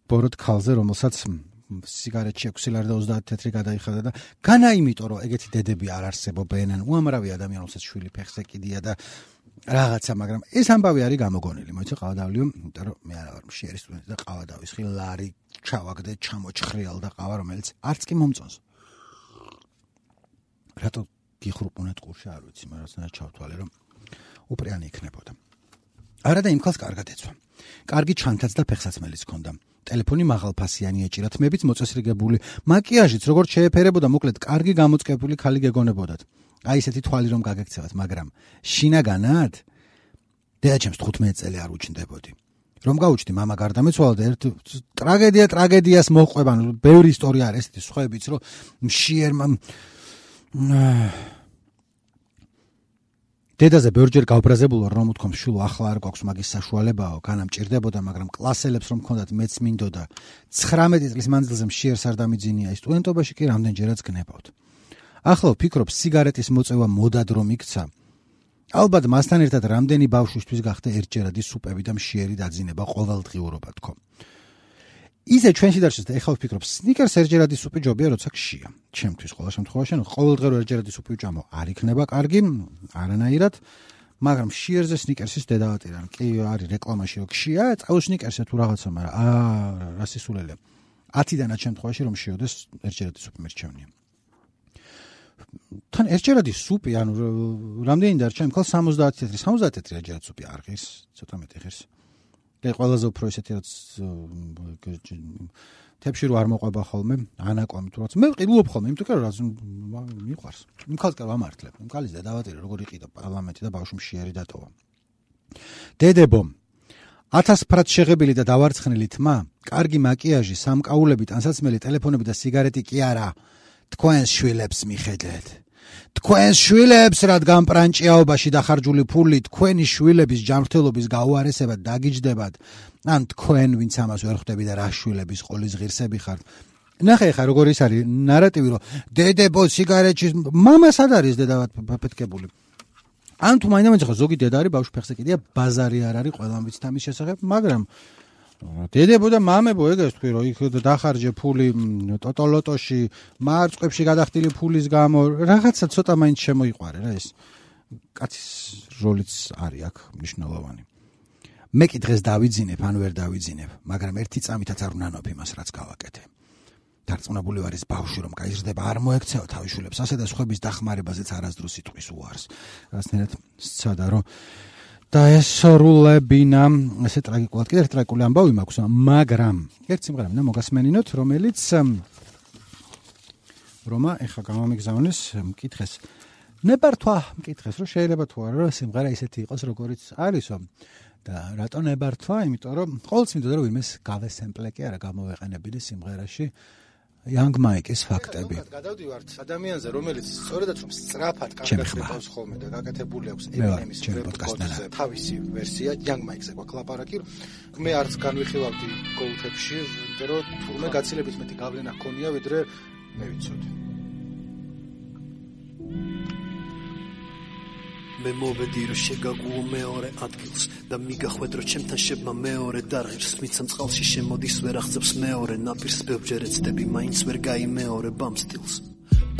A: ბოროტ ქალზე, რომელსაც სიგარეტში ექვსი ლარი და ოცდაათი თეთრი გადაიხადა და განა იმიტომ რომ ეგეთი დედები არ არსებობენ, უამრავი ადამიანი რომელსაც შვილი ფეხზე კიდია და რაღაცა, მაგრამ ეს ამბავი არის გამოგონილი. მოიცა ყავადავლიო, იმიტომ რომ მე არა ვარ მშიერი სტუდენტი და ყავადავისხი ლარი ჩავაგდე, ჩამოჩხრიალ და ყავა, რომელიც არც კი მომწონს. რატო გიხრუპუნეთ ყურში, არ ვიცი, მაგრამ რაც ჩავთვალე, რომ უპრიანი იქნებოდა. არა და იმ ხალხს კარგად ეცვა. კარგი ჩანთაც და ფეხსაცმელიც ჰქონდა. ტელეფონი მაღალფასიანი ეჭირა, თმებიც მოწესრიგებული, მაკიაჟიც როგორც შეეფერებოდა, მოკლედ კარგი გამოწყებული ქალი გეგონებოდათ. აი ესეთი თვალი რომ გაგექცევათ, მაგრამ შინაგანად დედაჩემს თხუთმეტი წელი არ უჩნდებოდი. რომ გაუჩნდი, მამა გარდამეცვალა და ერთ ტრაგედია ტრაგედიას მოჰყვება, ანუ ბევრი ისტორია არის ესეთი სხვაებიც, რომ მშიერმა დედაზე ბევრჯერ გავბრაზებულა რომ უთქვამ შულო ახლა არ გვაქვს მაგის საშუალებაო, განა მჭირდებოდა, მაგრამ კლასელებს რომ მქონდათ მეც მინდოდა. ცხრამეტი წლის მანძილზე მშიერს არ დამიძინია, სტუდენტობაში კი რამდენჯერაც გნებავთ. ახლა ვფიქრობ, სიგარეტის მოწევა მოდად რომ იქცა. ალბათ მასთან ერთად რამდენი ბავშვისთვის გახდა ერთჯერადი სუპები და მშიერი დაძინება ყოველდღიურობა თქო. ისე ჩვენში დარჩეს და ეხლა ვფიქრობ, სნიკერს ერთჯერადი სუპი ჯობია, როცა გშია. ჩემთვის ყოველ შემთხვევაში, ყოველდღიურ ერთჯერადი სუპი ვჭამო, არ იქნება კარგი, არანაირად, მაგრამ მშიერზე სნიკერსის დედავატირან. კი არის რეკლამაში რომ გშია, წაულ სნიკერსზე თუ რაღაცა, მაგრამ აა რა სისულელია. ათიდანაც შემთხვევაში რომ შიოდეს ერთჯერადი სუპი მერჩევნია. თან ერთჯერადი სუპი, ანუ რამდენი დარჩა, იმ ხალხს სამოცდაათი თეთრი, სამოცდაათი თეთრი ერთჯერადი სუპი არ ღირს, ცოტა მეტი ღირს. და ყველაზე უფრო ესეთი რაც თებში რო არ მოყვება ხოლმე, ანაკვამი თუ რაც. მე ვყიდულობ ხოლმე, იმიტომ რომ რაც მიყვარს. იმ ხალხს კი ვამართლებ. იმ ხალხის დედავატირე როგორ იყიდა პარლამენტი და ბავშვი მშიერი დატოვა. დედებო, ათასფრად შეღებილი და დავარცხნილი თმა, კარგი მაკიაჟი, სამკაულები, ტანსაცმელი, ტელეფონები და სიგარეტი კი არა. თქვენს შვილებს მიხედეთ. თქვენს შვილებს, რადგან პრანჭიაობაში დახარჯული ფული თქვენი შვილების ჯანმრთელობის გაუარესებად დაგიჯდებათ, ან თქვენ ვინც ამას ვერ ხვდები და რა შვილების ყოლის ღირსები ხართ. ნახე ხა როგორ ის არის ნარატივი, რომ დედებო სიგარეტში მამა სად არის დედავად ფეთქებული. ან თუ მაინდა-მაინც ხა ზოგი დედა არის ბავშვი ფეხზე კიდია, ბაზარი არ არის, ყველამ ვიცით ამის შესახებ, მაგრამ დედებო და მამებო ეგეს თქვი რომ იქ დახარჯე ფული ტოტოლოტოში, მარწყებში გადახდილი ფულის გამო, რაღაცა ცოტა მაინც შემოიყვარე რა ეს. კაცის როლიც არის აქ მნიშვნელოვანი. მე კი დღეს დავიძინებ, ან ვერ დავიძინებ, მაგრამ ერთი წამითაც არ ვნანობ იმას, რაც გავაკეთე. დარწმუნებული ვარ ის ბავშვი რომ გაიზრდება, არ მოექცევა თავის შვილებს, ასე და სხვების დახმარებაზეც არასდროს იტყვის უარს. რაღაცნაირად სცადა რომ დაესრულებინა, ესე ტრაგიკულად, კიდევ ერთი ტრაგიკული ამბავი მაქვს, მაგრამ ერთ სიმღერა მინდა მოგასმენინოთ, რომელიც რომა ეხა გამომიგზავნეს მკითხეს. ნებართვა მკითხეს, რომ შეიძლება თუ არა რომ სიმღერა ისეთი იყოს, როგორიც არისო. და რატო ნებართვა? იმიტომ რომ ყოველთვის მინდოდა რომ ვინმეს გავესემპლე კი არა გამოვეყენებინა სიმღერაში Young Mike-ის ფაქტები.
B: გადავდივართ ადამიანზე, რომელიც სწორედაც რომ სწრაფად გაგაკეთებს ხოლმე და გაკეთებული აქვს Eminem's პოდკასტზე თავისი ვერსია Young Mike-ზე გვაქვს ლაპარაკი. მე არც განვიხილავდი Go-Tech-ში, იმიტომ რომ თურმე გაცილებით მეტი გავლენა ჰქონია, ვიდრე მე ვიცოდი.
C: მე მოვედი რომ შეგაგუო მეორე ადგილს და მიგახვედრო ჩემთან შებმა მეორე დარღირს მიცემ წყალში შემოდის ვერ აღწევს მეორე ნაპირს ბევრჯერ ეცდები მაინც ვერ გაიმეორებ ამ სტილს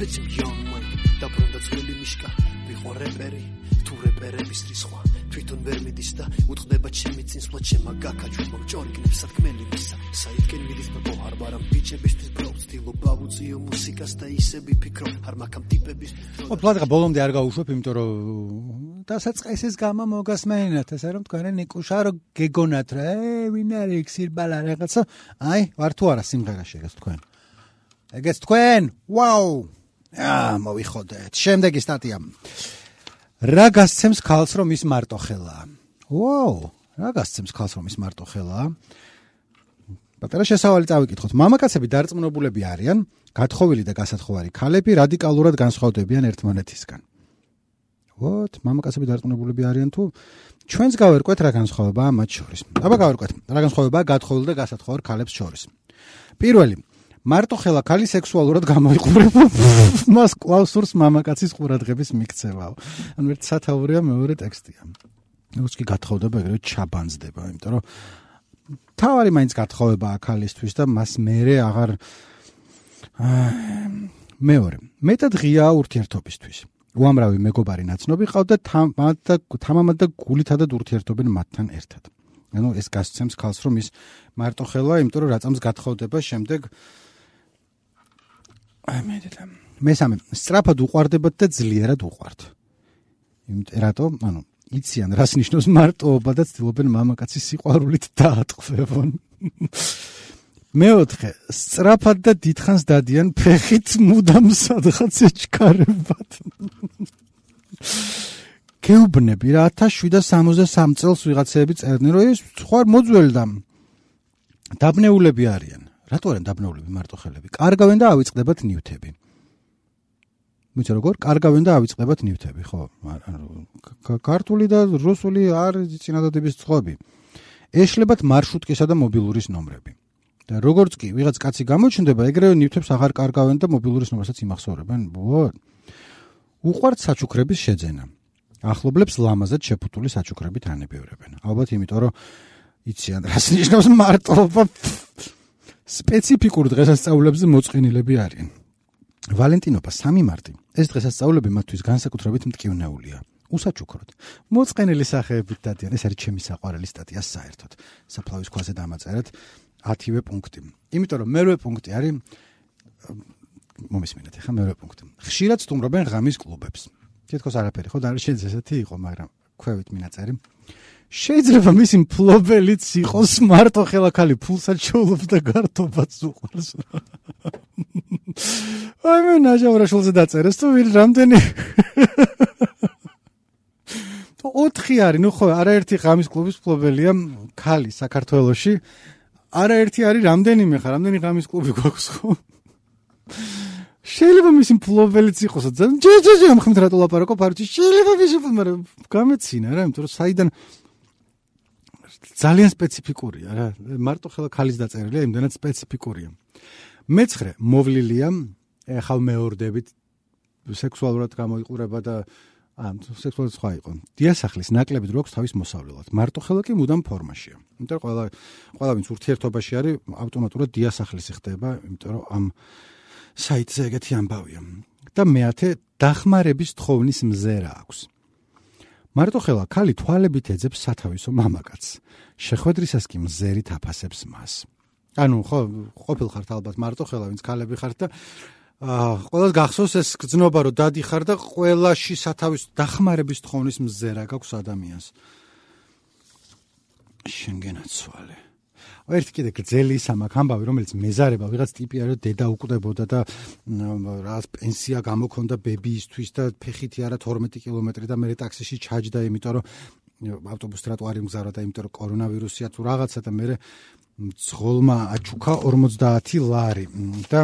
C: ბეჭი young mike დაბრუნდა ძველი მიშკა ვიყო რეპერი თუ რეპერების რისხვა თვითონ ვერ მიდის და უთხრდება ჩემი წინსვლა ჩემა გაკაჩვა მორჭორიგნებს სათქმელი მისა საითკენ მიდის ბო არ ვარამ ბიჭებისთვის ბრო ცდილობა ვუწიო მუსიკას და ისე ვიფიქრო არ მაქამ ტიპების
A: ო პლატა ბოლომდე არ გავუშვებ იმიტომ რომ დასაწყისის გამო მოგასმენინათ ესე რომ თქვენი ნიკუშა რო გეგონათ რა ე ვინ არის ქსირბალა რაღაცა აი ვარ თუ არა სიმღერაში ეგეც თქვენ ეგეც თქვენ ვაუ აა მოვიხოდეთ შემდეგი სტატია რა გასცემს ქალს რომ ის მარტო ხელაა ვაუ რა გასცემს ქალს რომ ის მარტო ხელაა პატარა შესავალი წავიკითხოთ მამაკაცები დარწმუნებულები არიან გათხოვილი და გასათხოვარი ქალები რადიკალურად განსხვავდებიან ერთმანეთისგან ვოთ მამაკაცები დარწმუნებულები არიან თუ ჩვენს გავერკვეთ რა განსხვავებაა მათ შორის აბა გავერკვეთ რა განსხვავებაა გათხოვილ და გასათხოვარ ქალებს შორის პირველი მარტო ხელა ქალი სექსუალურად გამოიყურება მას კლავსურს მამაკაცის ყურადღების მიქცევაო ანუ ერთ სათაურია მეორე ტექსტია როგორც კი გათხოვდება ეგრევე ჩაბანძდება იმიტომ რომ თავარი მაინც გათხოვებაა ქალისთვის და მას მერე აღარ მეორე მეტად ღიაა ურთიერთობისთვის უამრავი მეგობარი ნაცნობი ყავდა თამამად და გულითადად ურთიერთობენ მათთან ერთად ანუ ეს გასცემს ქალს რომ ის მარტო ხელა იმიტომ რომ რაწამს გათხოვდება შემდეგ აი მე და მესამე სწრაფად უყვარდებათ და ძლიერად უყვართ იმიტომ რატო ანუ იციან რას ნიშნავს მარტოობა და ცდილობენ მამაკაცის სიყვარულით დაატყვევონ მეოთხე სწრაფად და დიდხანს დადიან ფეხით მუდამ სადღაც ეჩქარებათ გეუბნები რა ათას შვიდსათ სამოცდასამი წელს ვიღაცები წერდნენ რომ ეს სხვა მოძველდა დაბნეულები არიან რატო არიან დაბნეულები მარტოხელები კარგავენ და ავიწყდებათ ნივთები მიცი როგორ კარგავენ და ავიწყდებათ ნივთები ხო ქართული და რუსული არ წინადადების წყობი ეშლებათ მარშრუტკისა და მობილურის ნომრები და როგორც კი ვიღაც კაცი გამოჩნდება ეგრევე ნივთებს აღარ კარგავენ და მობილურის ნომერსაც იმახსოვრებენ ბო უყვართ საჩუქრების შეძენა ახლობლებს ლამაზად შეფუთული საჩუქრებით ანებევრებენ ალბათ იმიტომ რომ იციან რას ნიშნავს მარტოობა სპეციფიკურ დღესასწაულებზე მოწყენილები არიან ვალენტინობა სამი მარტი ეს დღესასწაულები მათთვის განსაკუთრებით მტკივნეულია უსაჩუქროდ მოწყენილი სახეებით დადიან ეს არის ჩემი საყვარელი სტატია საერთოდ საფლავის ქვაზე დამაწერეთ ათივე პუნქტი იმიტომ რომ მერვე პუნქტი არის მომისმინეთ ახლა მერვე პუნქტი ხშირად სტუმრობენ ღამის კლუბებს თითქოს არაფერი ხო და არ შეიძლება ესეთი იყო მაგრამ ქვევით მინაწერი შეიძლება მისი მფლობელიც იყოს მარტო ხელა ქალი ფულსაც შეულობს და გართობაც უყვარს აი მე ნაჟავრაშულზე დაწერეს თუ ვინ რამდენი ოთხი არის ნუ ხო არაერთი ღამის კლუბის მფლობელია ქალი საქართველოში არაერთი არის რამდენიმე ხარ რამდენი ღამის კლუბი გვაქვს ხო შეიძლება მისი მფლობელიც იყოს ჯეჯეჯე ამ ხმით რატო ლაპარაკობ არჩი შეიძლება მისი მაგრამ გამეცინა რა იმიტომ რომ საიდან ძალიან სპეციფიკურია რა მარტო ხელა ქალის დაწერილია იმდანაც სპეციფიკურია მეცხრე მოვლილია ეხლა მეორდებით სექსუალურად გამოიყურება და ამ სექსუალურად სხვა იყო დიასახლის ნაკლებით როქს თავის მოსავლელად მარტო ხელა კი მუდამ ფორმაშია იმიტომ რომ ყველა ყველა ვინც ურთიერთობაში არის ავტომატურად დიასახლისი ხდება იმიტომ რომ ამ საიტზე ეგეთი ამბავია და მეათე დახმარების თხოვნის მზერა აქვს მარტო ხელა ქალი თვალებით ეძებს სათავისო მამაკაცს შეხვედრისას კი მზერით აფასებს მას ანუ ხო ყოფილ ხართ ალბათ მარტო ხელა ვინც ქალები ხართ და ყველას გახსოვს ეს გზნობა რომ დადიხარ და ყველაში სათავის დახმარების თხოვნის მზერა გაქვს ადამიანს შენგენაცვალე ერთი კიდე გძელი სამაკ ამბავი რომელიც მეზარება ვიღაც ტიპი არის დედა უკვდებოდა და რა პენსია გამოქონდა ბებიისთვის და ფეხითი არა თორმეტი კილომეტრი და მე ტაქსიში ჩაჯდა იმიტომ რომ ავტობუს ტროტუარი მგზავრა და იმიტომ რომ კორონავირუსია თუ რაღაცა და მე ძღოლმა აჩუქა ორმოცდაათი ლარი და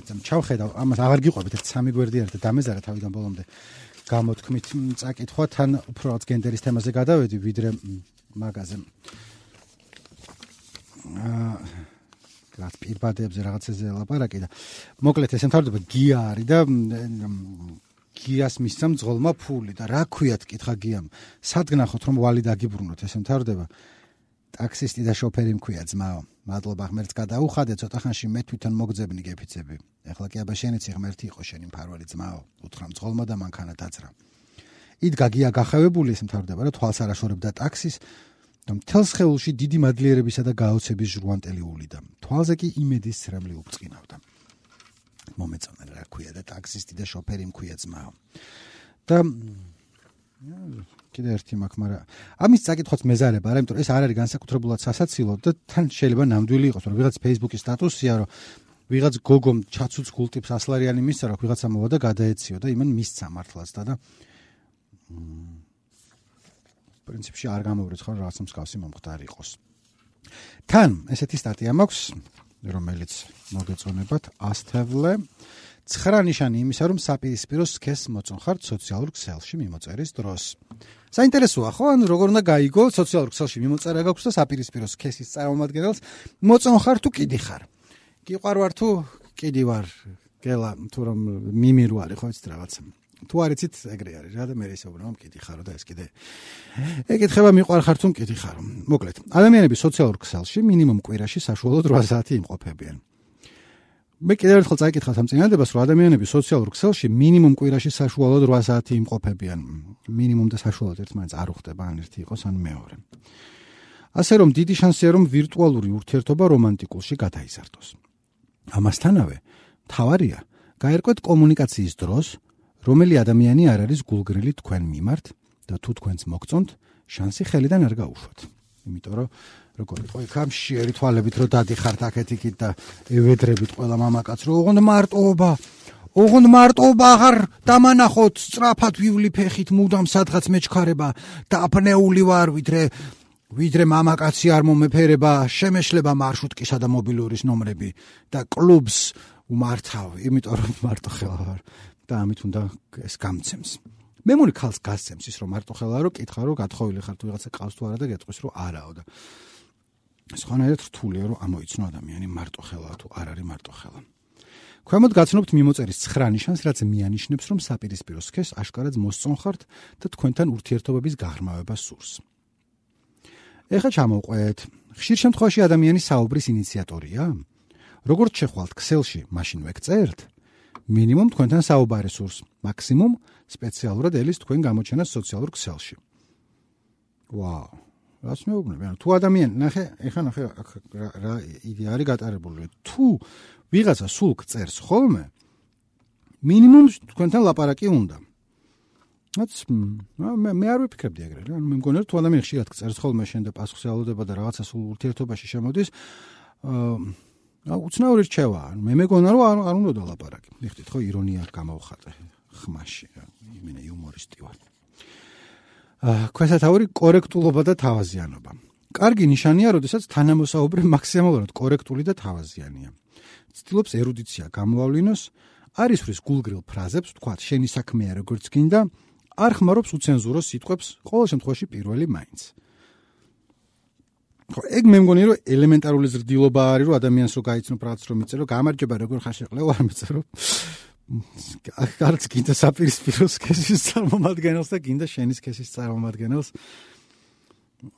A: ჩავხედავ ამას აღარ გიყვებით ერთ სამი გვერდი არის და დამეზარა თავიდან ბოლომდე გამოთქმით წაკითხვა თან უფრო რაც გენდერის თემაზე გადავედი ვიდრე მაგაზე აა რაც პირბადებზე რაღაცაზე ლაპარაკი და მოკლედ ეს მთავრდება გია არის და გიას მისცემ ძღოლმა ფული და რა ქვიათ კითხა გიამ სად გნახოთ რომ ვალი დაგიბრუნოთ ეს მთავრდება ტაქსისტი და შოფერი მქვია ძმაო მადლობა ღმერთს გადაუხადე ცოტა ხანში მე თვითონ მოგძებნი გეფიცები ეხლა კი აბა შენიც ღმერთი იყო შენი მფარველი ძმაო უთხრა ძღოლმა და მანქანა დაძრა იდგა გია გახევებული ეს მთავრდება რა თვალს არ აშორებდა ტაქსის და მთელს ხეულში დიდი მადლიერებისა და გაოცების ჟღუანტელი ულიდა თვალზე კი იმედის ცრემლი უბწყინავდა მომეწონა რა ქვია და ტაქსისტი და შოფერი მქვია ძმაო და კიდე ერთი მაქვს მაგრამ ამის წაკითხვაც მეზარება არა იმიტომ რომ ეს არ არის განსაკუთრებულად სასაცილო და თან შეიძლება ნამდვილი იყოს რომ ვიღაც Facebook-ის სტატუსია რომ ვიღაც გოგომ ჩაცუც გულტიპს ასლარიანი მისცა რომ ვიღაცა მოვა და გადაეციო და იმან მისცა მართლაც და და პრინციპში არ გამოვრეც ხო რაღაცა მსგავსი მომხდარი იყოს თან ესეთი სტატია მაქვს რომელიც მოგეწონებათ ასთევლე ცხრა ნიშანი იმისა რომ საპირისპირო სქესს მოწონხართ სოციალურ ქსელში მიმოწერის დროს საინტერესოა ხო ან როგორ უნდა გაიგო სოციალურ ქსელში მიმოწერა გაქვს და საპირისპირო სქესის წარმომადგენელს მოწონხარ თუ კიდი ხარ გიყვარვარ თუ კიდი ვარ გელა თუ რომ მიმირვარი ხო იცით რაღაცა თუ არ იცით ეგრე არის რა და მე ისეუბნება მკითხარო და ეს კიდე ეკითხება მიყვარხარ თუ მკითხარო. მოკლედ, ადამიანები სოციალურ ქსელში მინიმუმ კვირაში საშუალოდ რვა საათი იმყოფებიან. მე კიდევ ერთხელ წაიკითხავთ ამ წინადადებას, რომ ადამიანები სოციალურ ქსელში მინიმუმ კვირაში საშუალოდ რვა საათი იმყოფებიან. მინიმუმ და საშუალოდ ერთმანეთს არ უხდება, ან ერთი იყოს, ან მეორე. ასე რომ დიდი შანსია, რომ ვირტუალური ურთიერთობა რომანტიკულში გადაიზარდოს. ამასთანავე, მთავარია გაერკვეთ კომუნიკაციის დროს, რომელი ადამიანი არ არის გულგრილი თქვენ მიმართ და თუ თქვენს მოგწონთ, შანსი ხელიდან არ გაუშვათ. იმიტომ რომ როგორ იყო იქ ამ შეერი თვალებით რომ დადიხართ აქეთ-იქით და ევედრებით ყველა მამაკაც რომ ოღონდ მარტოობა, ოღონდ მარტოობა აღარ დამანახოთ, სწრაფად ვივლი ფეხით, მუდამ სადღაც მეჩქარება, დაფნეული ვარ, ვიდრე ვიდრე მამაკაცი არ მომეფერება, შემეშლება მარშრუტკისა და მობილურის ნომრები და კლუბს უმართავ, იმიტომ რომ მარტო ხელა ვარ და ამით უნდა ეს გამცემს. მე მგონი ქალს გასცემს ის რომ მარტო ხელა რომ კითხა რომ გათხოვილი ხარ თუ ვიღაცა ყავს თუ არა და გეტყვის რომ არაო და სხვანაირად რთულია რომ ამოიცნო ადამიანი მარტო ხელა თუ არ არის მარტო ხელა. ქვემოთ გაცნობთ მიმოწერის ცხრა ნიშანს, რაც მიანიშნებს რომ საპირისპირო სქესს აშკარად მოსწონხართ და თქვენთან ურთიერთობების გაღრმავება სურს. ეხლა ჩამოვყვეთ, ხშირ შემთხვევაში ადამიანი საუბრის ინიციატორია? როგორც შეხვალთ ქსელში, მაშინ ვეკწერთ? მინიმუმ თქვენთან საუბარი სურს, მაქსიმუმ სპეციალურად ელის თქვენ გამოჩენას სოციალურ ქსელში. ვაუ, რას მეუბნები? ანუ თუ ადამიანი, ნახე, ეხლა ნახე რა იდეა არის გატარებული. თუ ვიღაცა სულ წერს ხოლმე, მინიმუმ თქვენთან ლაპარაკი უნდა. რაც მე მე არ ვიფიქრებდი ეგრე რა. ანუ მე მგონია თუ ადამიანი ხშირად წერს ხოლმე შენ და პასუხს ელოდება და რაღაცა სულ ურთიერთობაში შემოდის, აა უცნაური რჩევა. მე მეგონა რომ არ არ უნდა დალაპარაკი. მიხდით ხო ირონია გამოვხატე ხმაში რა. იმენა იუმორისტი ვარ. აა ქვესათაური კორექტულობა და თავაზიანობა. კარგი ნიშანია, როდესაც თანამოსაუბრე მაქსიმალურად კორექტული და თავაზიანია. ცდილობს ერუდიცია გამოავლინოს, არ ისვრის გულგრილ ფრაზებს, თქვათ შენი საქმეა როგორც გინდა, არ ხმარობს უცენზურო სიტყვებს, ყოველ შემთხვევაში პირველი მაინც. ხო, ეგ მე მგონი რომ ელემენტარული ზრდილობა არის, რომ ადამიანს რო გაიცნო რაღაც რომ მიწერო, გამარჯობა როგორ ხარ შეყლევ არ მიწერო. არც გინდა საპირისპირო სქესის წარმომადგენელს და გინდა შენი სქესის წარმომადგენელს.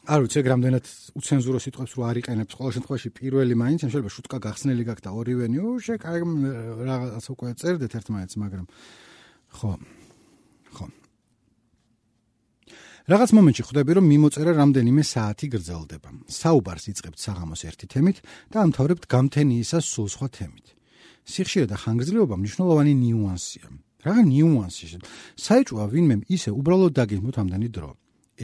A: არ ვიცი, ეგ რამდენად უცენზურო სიტყვებს რო არ იყენებს, ყოველ შემთხვევაში პირველი მაინც, შეიძლება შუტკა გახსნელი გაქვს და ორივენი, უშე, კაი რაღაც უკვე წერდეთ ერთმანეთს, მაგრამ ხო. ხო. რაღაც მომენტში ხვდები, რომ მიმოწერა რამდენიმე საათი გრძელდება. საუბარს იწყებთ საღამოს ერთი თემით და ამთავრებთ გამთენიისას სულ სხვა თემით. სიხშირე და ხანგრძლივობა მნიშვნელოვანი ნიუანსია. რაღა ნიუანსი? საეჭვოა ვინმე ისე უბრალოდ დაგეგმოთ ამდენი დრო.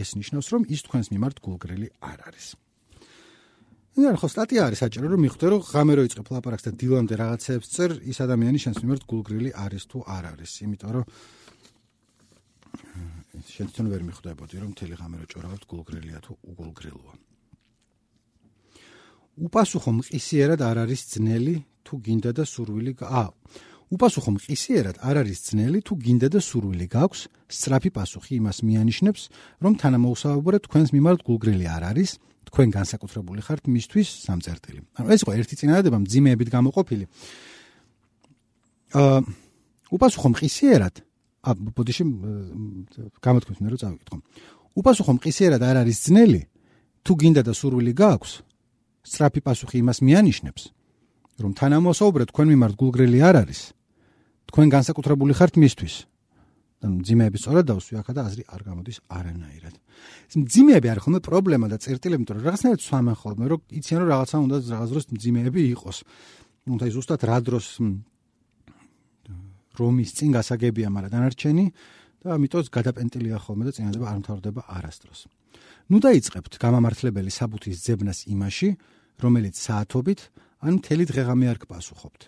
A: ეს ნიშნავს, რომ ის თქვენს მიმართ გულგრილი არ არის. ნუ ხო სტატია არის საჭირო, რომ მიხვდე, რომ ღამე რო იწყებ ლაპარაკს და დილამდე რაღაცებს წერ, ის ადამიანი შენს მიმართ გულგრილი არის თუ არ არის. იმიტომ რომ შენ თვითონ ვერ მიხვდებოდი, რომ მთელი ღამე რო ჭორავთ გულგრილია თუ უგულგრილოა. უპასუხო მყისიერად არ არის ძნელი თუ გინდა და სურვილი აა უპასუხო მყისიერად არ არის ძნელი თუ გინდა და სურვილი გაქვს, სწრაფი პასუხი იმას მიანიშნებს, რომ თანამოუსაუბრე თქვენს მიმართ გულგრილი არ არის, თქვენ განსაკუთრებული ხართ მისთვის სამწერტილი. ანუ ეს იყო ერთი წინადადება მძიმეებით გამოყოფილი. აა უპასუხო მყისიერად ა ბოდიში გამოთქვით მე რომ წავიკითხო. უპასუხო მყისიერად არ არის ძნელი თუ გინდა და სურვილი გაქვს, სწრაფი პასუხი იმას მიანიშნებს, რომ თანამოსაუბრე თქვენ მიმართ გულგრილი არ არის, თქვენ განსაკუთრებული ხართ მისთვის. და მძიმეები სწორად დავსვი ახლა და აზრი არ გამოდის არანაირად. ეს მძიმეები არის ხოლმე პრობლემა და წერტილები, იმიტომ რომ რაღაცნაირად სვამენ ხოლმე, რომ იციან რომ რაღაცა უნდა რაღაც დროს მძიმეები იყოს. უნდა ის ზუსტად რა დროს რომის წინ გასაგებია, მაგრამ დანარჩენი და ამიტომ გადაპენტილია ხოლმე და წინადადება არ მთავრდება არასდროს. ნუ დაიწყებთ გამამართლებელი საბუთის ძებნას იმაში, რომელიც საათობით ან მთელი დღეღამე არ გპასუხობთ.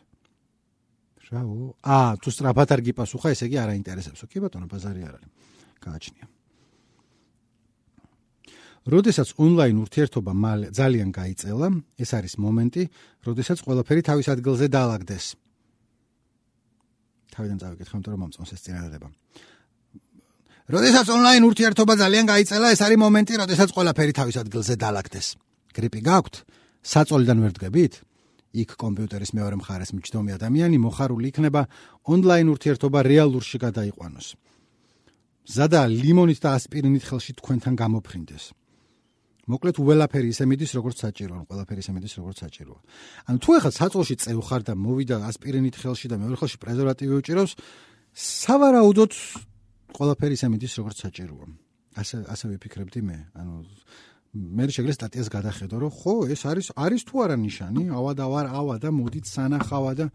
A: რაო? აა, თუ სწრაფად არ გიპასუხა, ესე იგი არ აინტერესებსო. კი ბატონო, ბაზარი არ არის. გააჩნია. როდესაც ონლაინ ურთიერთობა ძალიან გაიწელა, ეს არის მომენტი, როდესაც ყველაფერი თავის ადგილზე დაალაგდეს. თავიდან წავიკითხე, იმიტომ რომ მომწონს ეს წინადადება. როდესაც ონლაინ ურთიერთობა ძალიან გაიწელა, ეს არის მომენტი, როდესაც ყველაფერი თავის ადგილზე დაალაგდეს. გრიპი გაქვთ? საწოლიდან ვერ დგებით? იქ კომპიუტერის მეორე მხარეს მჯდომი ადამიანი მოხარული იქნება ონლაინ ურთიერთობა რეალურში გადაიყვანოს. ზადა ლიმონით და ასპირინით ხელში თქვენთან გამოფრინდეს. მოკლედ უველაფერი ისე მიდის როგორც საჭიროა, ყველაფერი ისე მიდის როგორც საჭიროა. ანუ თუ ახლა საწოლში წევ ხარ და მოვიდა ასპირინით ხელში და მეორე ხელში პრეზერვატივი უჭირავს, სავარაუდოდ ყველაფერი ისე მიდის როგორც საჭიროა. ასე ასე ვიფიქრებდი მე. ანუ მე შეგიძლია სტატიას გადახედო, რომ ხო, ეს არის არის თუ არა ნიშანი, ავა და ვარ ავა და მოდით სანახავა და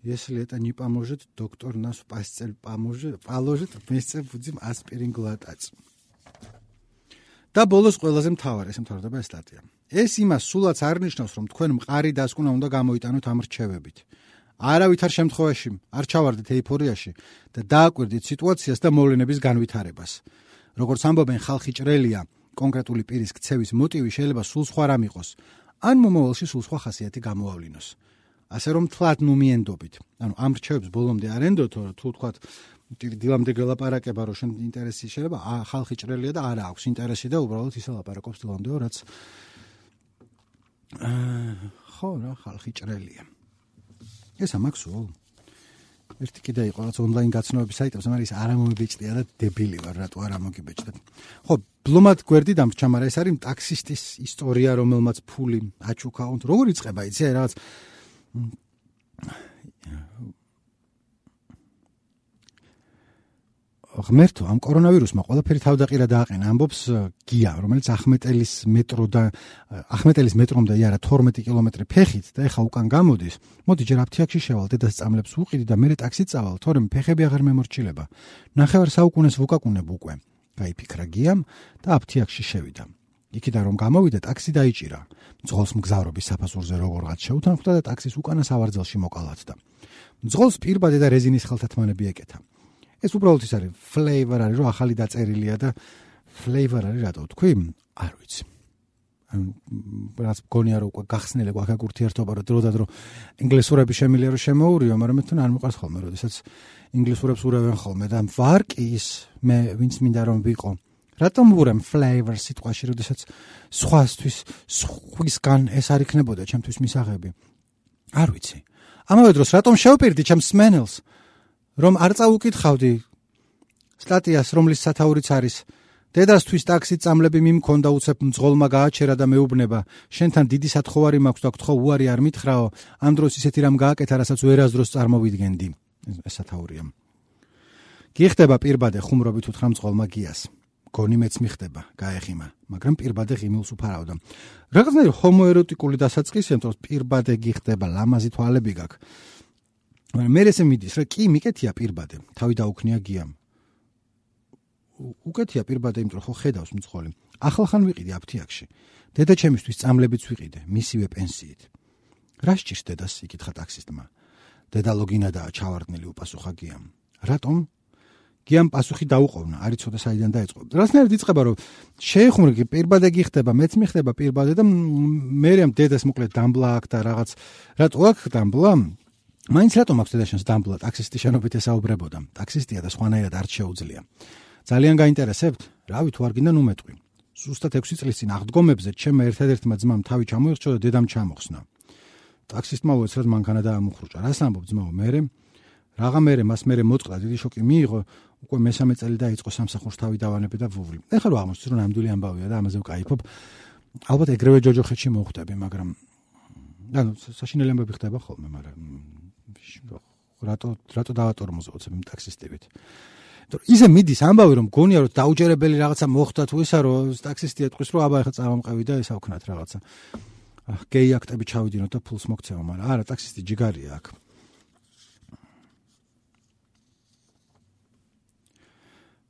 A: если это не поможет, доктор нас постель поможет, положит, вместе будем аспирин глотать. და ბოლოს ყველაზე მთავარი, ეს მთავრდება ეს სტატია. ეს იმას სულაც არ ნიშნავს, რომ თქვენ მყარი დასკვნა უნდა გამოიტანოთ ამ რჩევებით. არავითარ შემთხვევაში არ ჩავარდეთ ეიფორიაში და დააკვირდით სიტუაციას და მოვლენების განვითარებას. როგორც ამბობენ, ხალხი ჭრელია, კონკრეტული პირის ქცევის მოტივი შეიძლება სულ სხვა რამ იყოს, ან მომავალში სულ სხვა ხასიათი გამოავლინოს. ასე რომ თლად ნუმიენდობით. ანუ ამ რჩევებს ბოლომდე არ ენდოთო, თუ თქვათ დილამდე გელაპარაკება, რომ შენ ინტერესი შეიძლება, ხალხი ჭრელია და არა აქვს ინტერესი და უბრალოდ ისე ლაპარაკობს დილამდეო, რაც ხო რა, ხალხი ჭრელია. ეს ამაქსო. ერთი კიდე იყო რაც ონლაინ გაცნობების საიტებს, მაგრამ ის არ მომიბეჭდია და დებილი ვარ, რატო არ მომიბეჭდა. ხო, ბლომად გვერდი დამრჩა, მაგრამ ეს არის ტაქსისტის ისტორია, რომელმაც ფული აჩუქა. როგორ იწყება, იცი, რაღაც ღმერთო, ამ კორონავირუსმა ყველაფერი თავდაყირა დააყენა, ამბობს გია, რომელიც ახმეტელის მეტრო და ახმეტელის მეტრომდე იარა თორმეტი კილომეტრი ფეხით და ეხა უკან გამოდის. მოდი ჯერ აფთიაქში შევალ, დედას წამლებს უყიდი და მერე ტაქსით წავალ, თორემ ფეხები აღარ მემორჩილება. ნახევარ საუკუნეს ვუკაკუნებ უკვე. გაიფიქრა გიამ და აფთიაქში შევიდა. იქიდან რომ გამოვიდა, ტაქსი დაიჭირა. მძღოლს მგზავრობის საფასურზე როგორღაც შეუთანხმდა და ტაქსის უკანა სავარძელში მოკალათდა. მძღოლს პირბადე და რეზინის ხელთათმანები ეკეთა. ეს უბრალოდ ის არის flavor არის, რომ ახალი დაწერილია და flavor არის, რატო თქვი? არ ვიცი. ანუ რაც გონია რომ უკვე გახსნილი გვაქვს ურთიერთობა, რომ დრო და დრო ინგლისურები შემილია რომ შემოურიო, მაგრამ მე თან არ მიყვარს ხოლმე, როდესაც ინგლისურებს ურავენ ხოლმე და ვარ კი ის მე ვინც მინდა რომ ვიყო. რატომ ვურემ flavor სიტყვაში, როდესაც სხვასთვის სხვისგან ეს არ იქნებოდა ჩემთვის მისაღები? არ ვიცი. ამავე დროს რატომ შევპირდი ჩემს სმენელს? რომ არ წაუკითხავდი სტატიას, რომლის სათაურიც არის დედასთვის ტაქსით წამლები მიმქონდა, უცებ მძღოლმა გააჩერა და მეუბნება, შენთან დიდი სათხოვარი მაქვს და გთხოვ უარი არ მითხრაო, ამ დროს ისეთი რამ გააკეთა, რასაც ვერასდროს წარმოვიდგენდი. ეს სათაურია. გიხდება პირბადე ხუმრობით უთხრა მძღოლმა გიას. გონი მეც მიხდება, გაეხიმა, მაგრამ პირბადე ღიმილს უფარავდა. რაღაცნაირი ჰომოეროტიკული დასაწყისია, რომ პირბადე გიხდება, ლამაზი თვალები გაქვს. მე ესე მიდის, რა კი მიკეთია პირბადე, თავი დაუქნია გიამ. უკეთია პირბადე, იმიტომ რომ ხო ხედავს მძღოლი. ახალხან ვიყიდი აფთიაქში. დედა ჩემისთვის წამლებიც ვიყიდე, მისივე პენსიით. რა სჭირს დედას, იკითხა ტაქსისტმა. დედა ლოგინადაა ჩავარდნილი, უპასუხა გიამ. რატომ? გიამ პასუხი დაუყოვნა, არ იცოდა საიდან დაიწყო. რასნაირად იწყება, რომ შეეხუმრე პირბადე გიხდება, მეც მიხდება პირბადე და მერე დედას მოკლედ დამბლა აქვს და რაღაც. რატო აქვს დამბლა? მაინც რატომ აქვს დედაშენს დამბლა? ტაქსისტი შენობით ესაუბრებოდა. ტაქსისტია და სხვანაირად არ შეუძლია. ძალიან გაინტერესებთ? რავი, თუ არ გინდა ნუ მეტყვი. ზუსტად ექვსი წლის წინ აღდგომებზე ჩემმა ერთადერთმა ძმამ თავი ჩამოიხჭო და დედამ ჩამოხსნა. ტაქსისტმა უეცრად მანქანა დაამუხრუჭა. რას ამბობ ძმაო, მერე? რაღა მერე მას მერე მოწყდა, დიდი შოკი მიიღო, უკვე მესამე წელი დაიწყო სამსახურს თავი დავანებე და ვუვლი. ეხლა რა აღმოჩნდა, რომ ნამდვილი ამბავია და ამაზე ვკაიფობ. ალბათ ეგრევე ჯოჯოხეთში მოვხვდები, მაგრამ ანუ საშინელი ამბები ხდება ხოლმე, მაგრამ რატო რატო დავატორმოზე უცებ იმ ტაქსისტებით. ისე მიდის ამბავი, რომ გონია რომ დაუჯერებელი რაღაცა მოხდა თუ ისა, რომ ტაქსისტი ეთქვის, რომ აბა ეხლა წავამყევი და ესა ვქნათ რაღაცა. გეი აქტები ჩავიდინოთ და ფულს მოგცევა, მაგრამ არა, ტაქსისტი ჯიგარია აქ.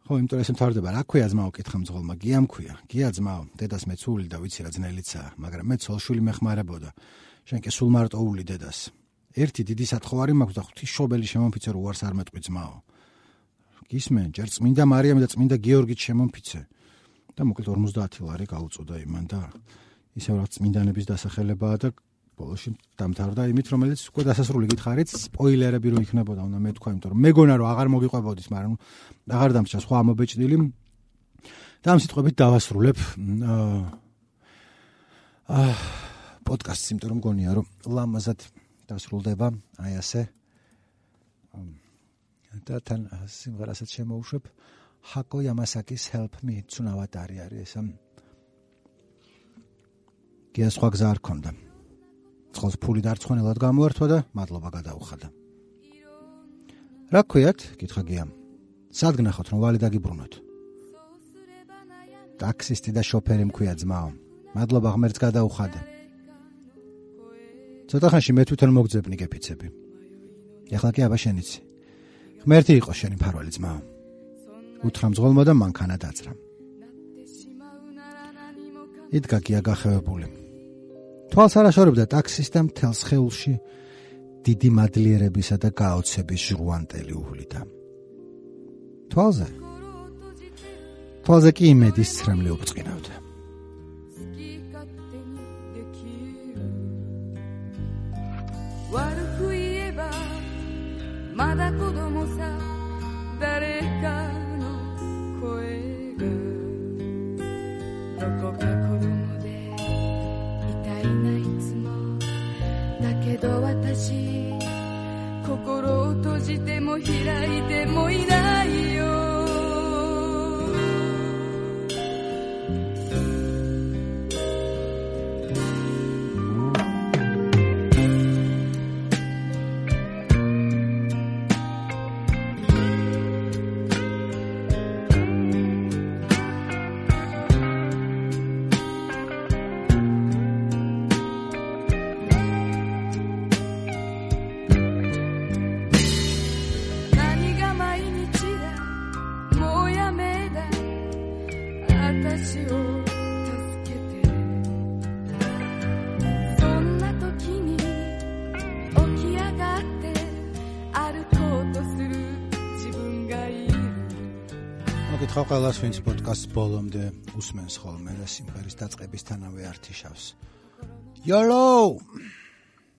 A: ხო, იმიტომ ეს მთავრდება, რა ქვია ძმაო, კითხა მძღოლმა, გიამ ქვია. გია ძმაო, დედას მეცული და ვიცი რა ძნელიცაა, მაგრამ მე ცოლშვილი მეხმარებოდა. შენ კი სულ მარტო ული დედას. ერთი დიდი სათხოვარი მაქვს და ღვთისმშობელი შემომფიცე, რომ უარს არ მეტყვი ძმაო. გისმენ, ჯერ წმინდა მარიამი და წმინდა გიორგიც შემომფიცე. და მოკლედ ორმოცდაათი ლარი გაუწოდა იმან და ისევ რაღაც წმინდანების დასახელებაა და ბოლოში დამთავრდა იმით, რომელიც უკვე დასასრული გითხარით, სპოილერები რო იქნებოდა, უნდა მეთქვა, იმიტომ რომ მეგონა რომ აღარ მოგიყვებოდის, მაგრამ აღარ დამრჩა სხვა ამობეჭდილი. და ამ სიტყვებით დავასრულებ აა პოდკასტს, იმიტომ რომ მგონია, რომ ლამაზად დასრულდება, აი ასე. და თან სიმღერასაც შემოუშვებ ჰაკო იამასაკის Help Me ცუნავატარი არის ეს. გია სხვა გზა არ ქონდა. წყალს ფული დარწმუნებულად გამოართვა და მადლობა გადაუხადა. რა ქვიათ? კითხა გიამ. სად გნახოთ რომ ვალი დაგიბრუნოთ? ტაქსისტი და შოფერი მქვია ძმაო. მადლობა ღმერთს გადაუხადე. ცოტა ხანში მე თვითონ მოგძებნი გეფიცები. ეხლა კი აბა შენიცი. ღმერთი იყო შენი მფარველი ძმაო. უთხრა მძღოლმა და მანქანა დაძრა. იდგა გია გახევებული. თვალს არ აშორებდა ტაქსისტა მთელს ხეულში დიდი მადლიერებისა და გაოცების ჟრუანტელი უვლიდა. თვალზე? თვალზე კი იმედის ცრემლი უბწყინავდა. ყველას ვინც პოდკასტს ბოლომდე უსმენს ხოლმე და სიმღერის დაწყებისთანავე ართიშავს. YOLO!